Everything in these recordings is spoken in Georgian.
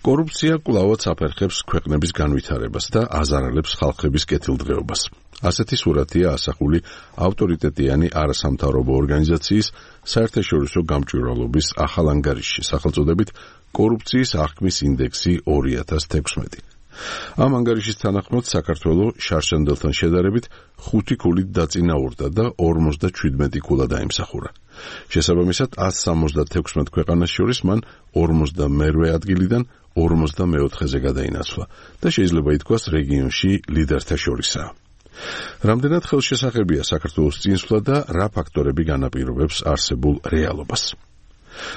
კორუფცია კვლავაც აფერხებს ქვეყნების განვითარებას და აზარალებს ხალხების კეთილდღეობას. ასეთი სურათია ასახული ავტორიტეტიანი არასამთავრობო ორგანიზაციის საერთაშორისო გამჭვირვალობის ახალ ანგარიშში, სახელწოდებით კორუფციის აღქმის ინდექსი 2016. ამ ანგარიშის თანახმად საქართველო შარშანდელთან შედარებით 5 ქულით დაწინაურდა და 57 ქულა დაიმსახურა. შესაბამისად 176 ქვეყანას შორის მან 52 ადგილიდან 54-ზე გადაინაცვლა და შეიძლება ითქვას რეგიონში ლიდერთა შორისაა. რამდენად ხელშესახებია საქართველოს წინსვლა და რა ფაქტორები განაპირობებს არსებულ რეალობას?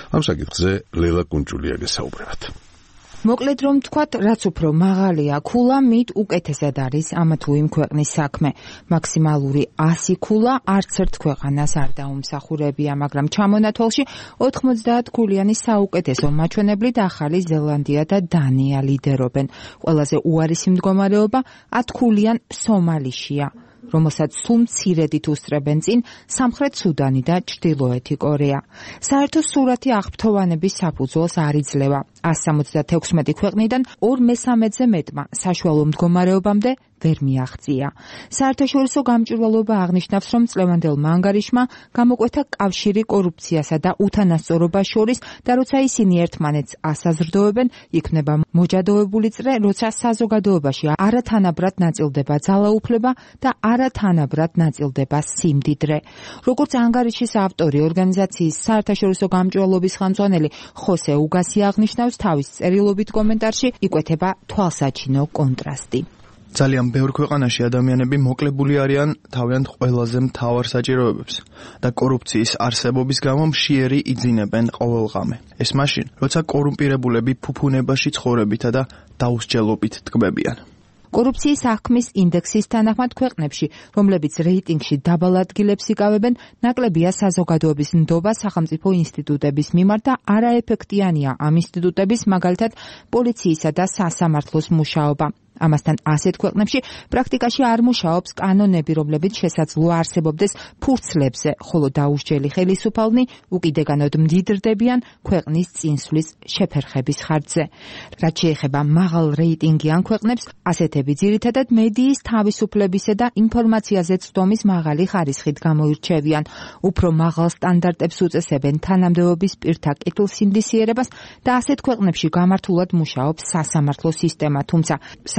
ამ საკითხზე ლელა კუნჭულია გესაუბრებათ. მოკლედ რომ თქვათ, რაც უფრო მაღალია ქულა, მით უკეთესად არის ამა თუ იმ ქვეყნის საქმე. მაქსიმალური 100 ქულა არც ერთ ქვეყანას არ დაუმსახურებია, მაგრამ ჩამონათვალში 90 ქულიანი საუკეთესო მაჩვენებლით ახალი ზელანდია და დანია ლიდერობენ. ყველაზე უარესი მდგომარეობა 10 ქულიან სომალიშია, რომელსაც სულ მცირედით უსწრებენ წინ სამხრეთ სუდანი და ჩრდილოეთი კორეა. საერთო სურათი აღფრთოვანების საფუძველს არ იძლევა. 176 ქვეყნიდან 2/3-ზე მეტმა საშუალო მდგომარეობამდე ვერ მიაღწია. საერთაშორისო გამჭვირვალობა აღნიშნავს, რომ წლევანდელმა ანგარიშმა გამოკვეთა კავშირი კორუფციასა და უთანასწორობას შორის და როცა ისინი ერთმანეთს ასაზრდოებენ, იქმნება მოჯადოებული წრე, როცა საზოგადოებაში არათანაბრად ნაწილდება ძალაუფლება და არათანაბრად ნაწილდება სიმდიდრე. როგორც ანგარიშის ავტორი, ორგანიზაციის საერთაშორისო გამჭვირვალობის ხელმძღვანელი ხოსე უგასი აღნიშნავს, თავის წერილობით კომენტარში იკვეთება თვალსაჩინო კონტრასტი. ძალიან ბევრ ქვეყანაში ადამიანები მოკლებული არიან თავიანთ ყველაზე მთავარ საჭიროებებს და კორუფციის არსებობის გამო მშიერი იძინებენ ყოველღამე. ეს მაშინ, როცა კორუმპირებულები ფუფუნებაში ცხოვრებითა და დაუსჯელობით ტკბებიან. კორუფციის აღქმის ინდექსის თანახმად ქვეყნებში, რომლებიც რეიტინგში დაბალ ადგილებს იკავებენ, ნაკლებია საზოგადოების ნდობა სახელმწიფო ინსტიტუტების მიმართ და არაეფექტიანია ამ ინსტიტუტების, მაგალითად, პოლიციისა და სასამართლოს მუშაობა. ამასთან ასეთ ქვეყნებში პრაქტიკაში არ მუშაობს კანონები, რომლებიც შესაძლოა არსებობდეს ფურცლებზე, ხოლო დაუსჯელი ხელისუფალნი უკიდეგანოდ მდიდრდებიან ქვეყნის წინსვლის შეფერხების ხარჯზე. რაც შეეხება მაღალ რეიტინგიან ქვეყნებს, ასეთები ძირითადად მედიის თავისუფლებისა და ინფორმაციაზე ცდომის მაღალი ხარისხით გამოირჩევიან. უფრო მაღალ სტანდარტებს უწესებენ თანამდებობის პირთა კეთილსინდისიერებას და ასეთ ქვეყნებში გამართულად მუშაობს სასამართლო სისტემა, თუმცა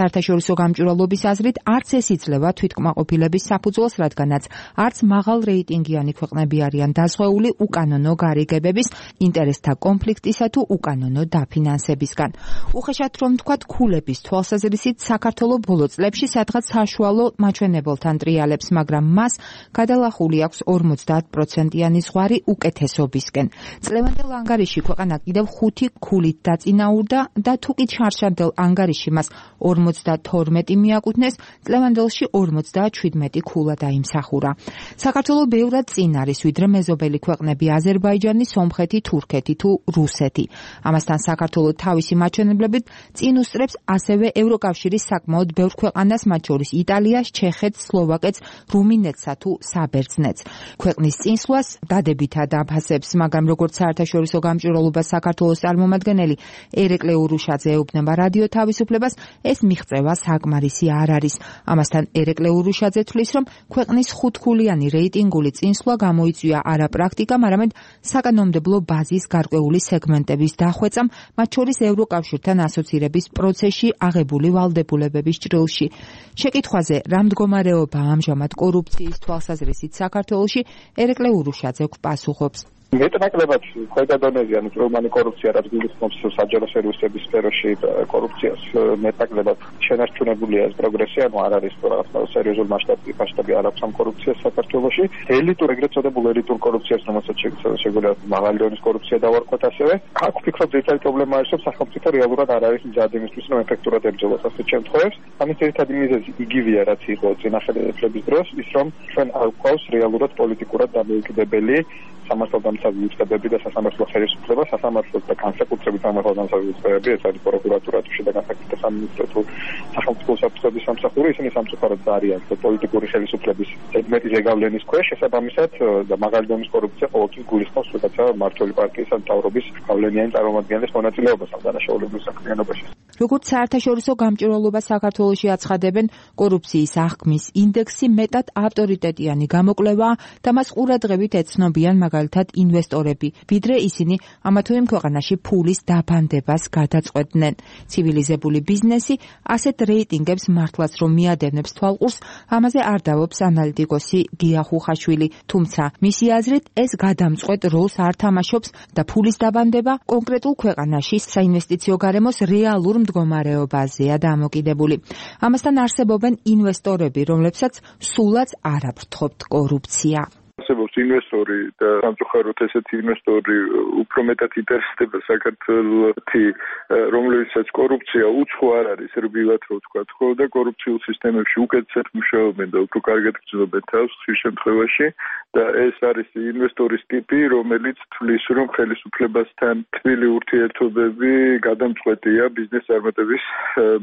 საერთაშორისო გამჭვირვალობის აზრით არც ეს იძლევა თვითკმაყოფილების საფუძველს, რადგანაც არც მაღალ რეიტინგიანი ქვეყნები არიან დაზღვეული უკანონო გარიგებების, ინტერესთა კონფლიქტისა თუ უკანონო დაფინანსებისგან. უხეშად რომ თქვათ, ქულების თვალსაზრისით საქართველოს ბოლო წლებში სადღაც საშუალო მაჩვენებელთან ტრიალებს, მაგრამ მას გადალახული აქვს 50%-იანი ზღვარი უკეთესობისკენ. წლევანდელ ანგარიში ქვეყანა კიდევ 5 ქულით დაწინაურდა და თუ კი შარშანდელ ანგარიში მას 52 მიაკუთვნეს, წლევანდელში 57 ქულა დაიმსახურა. საქართველო ბევრად წინ არის, ვიდრე მეზობელი ქვეყნები აზერბაიჯანი, სომხეთი, თურქეთი თუ რუსეთი. ამასთან საქართველო თავისი მაჩვენებლებით წინ უსწრებს ასევე ევროკავშირის საკმაოდ ბევრ ქვეყანას, მათ შორის იტალიას, ჩეხეთს, სლოვაკეთს, რუმინეთსა თუ საბერძნეთს. ქვეყნის წინსვლას დადებითად აფასებს, მაგრამ როგორც საერთაშორისო გამჭვირვალობა საქართველოს წარმომადგენელი ერეკლე ურუშაძე ეუბნება რადიო თავისუფლებას, ეს მიღწევა საკმარისი არ არის. ამასთან ერეკლე ურუშაძე თვლის, რომ ქვეყნის 5-ქულიანი რეიტინგული წინსვლა გამოიწვია არა პრაქტიკამ, არამედ საკანონმდებლო ბაზის გარკვეული სეგმენტების დახვეწამ, მათ შორის ევროკავშირთან ასოცირების პროცესში აღებული ვალდებულებების ჭრილში. შეკითხვაზე, რა მდგომარეობაა ამჟამად კორუფციის თვალსაზრისით საქართველოში, ერეკლე ურუშაძე პასუხობს. მეტნაკლებად ქვედა დონეზე, ანუ წვრილმანი კორუფცია, რაც გულისხმობს საჯარო სერვისების სფეროში კორუფციას, მეტნაკლებად შენარჩუნებულია ეს პროგრესი, ანუ არ არის რაღაცა სერიოზული მასშტაბი არ აქვს ამ კორუფციას საქართველოში. ელიტურ, ეგრეთ წოდებულ ელიტურ კორუფციას, რომელსაც შეგვიძლია მაღალი დონის კორუფცია დავარქვათ ასევე. აქ ვფიქრობ, ძირითადი პრობლემა არის, რომ სახელმწიფო რეალურად არ არის მზად იმისთვის, რომ ეფექტურად ებრძოლოს ასეთ შემთხვევებს. ამის ძირითადი მიზეზი იგივეა, რაც იყო წინა ხელისუფლების დროს, ის რომ ჩვენ არ გვყავს რეალურად პოლიტიკურად დამოუკიდებელი სამართალდამცავი განსაზღვრებები და სასამართლო ხელისუფლება, სასამართლოს და განსაკუთრებით სამართალ განსაზღვრებები, ეს არის პროკურატურა თუ შიდა განსაკუთრებით სამინისტრო თუ სახელმწიფო საფრთხების სამსახური, ისინი სამწუხაროდ არიან პოლიტიკური ხელისუფლების ზედმეტი ზეგავლენის ქვეშ, შესაბამისად და მაგალითად კორუფცია ყოველთვის გულისხმობს რაღაცა მმართველი პარტიის ან მთავრობის გავლენიანი წარმომადგენლის მონაწილეობას ამ დანაშაულებრივ საქმიანობაში. როგორც საერთაშორისო გამჭვირვალობა საქართველოში აცხადებენ, კორუფციის აღქმის ინდექსი მეტად ავტორიტეტიანი გამოკვლევაა და მას ყურადღებით ეცნობიან მაგალითად ინვესტორები, ვიდრე ისინი ამა თუ იმ ქვეყანაში ფულის დაბანდებას გადაწყვეტდნენ. ცივილიზებული ბიზნესი ასეთ რეიტინგებს მართლაც რომ მიადევნებს თვალყურს, ამაზე არ დავობს ანალიტიკოსი გია ხუხაშვილი, თუმცა მისი აზრით ეს გადამწყვეტ როლს არ თამაშობს და ფულის დაბანდება კონკრეტულ ქვეყანაში საინვესტიციო გარემოს რეალურ მდგომარეობაზეა დამოკიდებული. ამასთან არსებობენ ინვესტორები, რომლებსაც სულაც არ აფრთხობთ კორუფცია. არსებობს ინვესტორი და სამწუხაროდ ესეთი ინვესტორი უფრო მეტად ინტერესდება საქართველოსი, რომლებსაც კორუფცია უცხო არ არის რბილად რო ვთქვა, ხო და კორუფციულ სისტემებში უკეთესად მუშაობენ და უფრო კარგად გრძნობენ თავს ხშირ შემთხვევაში და ეს არის ინვესტორის ტიპი, რომელიც თვლის, რომ ხელისუფლებასთან თბილი ურთიერთობები გადამწყვეტია ბიზნეს წარმატების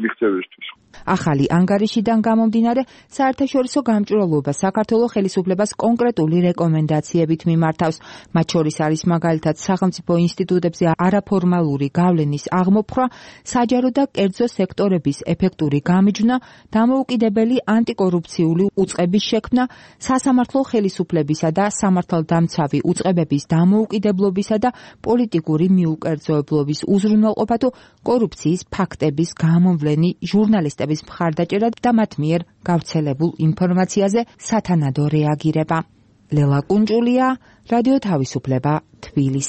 მიღწევისთვის. ახალი ანგარიშიდან გამომდინარე, საერთაშორისო გამჭვირვალობა საქართველოს ხელისუფლებას კონკრეტული რეკომენდაციებით მიმართავს. მათ შორის არის მაგალითად სახელმწიფო ინსტიტუტებზე არაფორმალური გავლენის აღმოფხვრა, საჯარო და კერძო სექტორების ეფექტური გამიჯვნა, დამოუკიდებელი ანტიკორუფციული უწყების შექმნა, სასამართლო ხელისუფლებისა და სამართალდამცავი უწყებების დამოუკიდებლობისა და პოლიტიკური მიუკერძოებლობის უზრუნველყოფა თუ კორუფციის ფაქტების გამოვლენი ჟურნალისტების მხარდაჭერა და მათ მიერ გავრცელებულ ინფორმაციაზე სათანადო რეაგირება. ლელა კუნჭულია, რადიო თავისუფლება, თბილისი.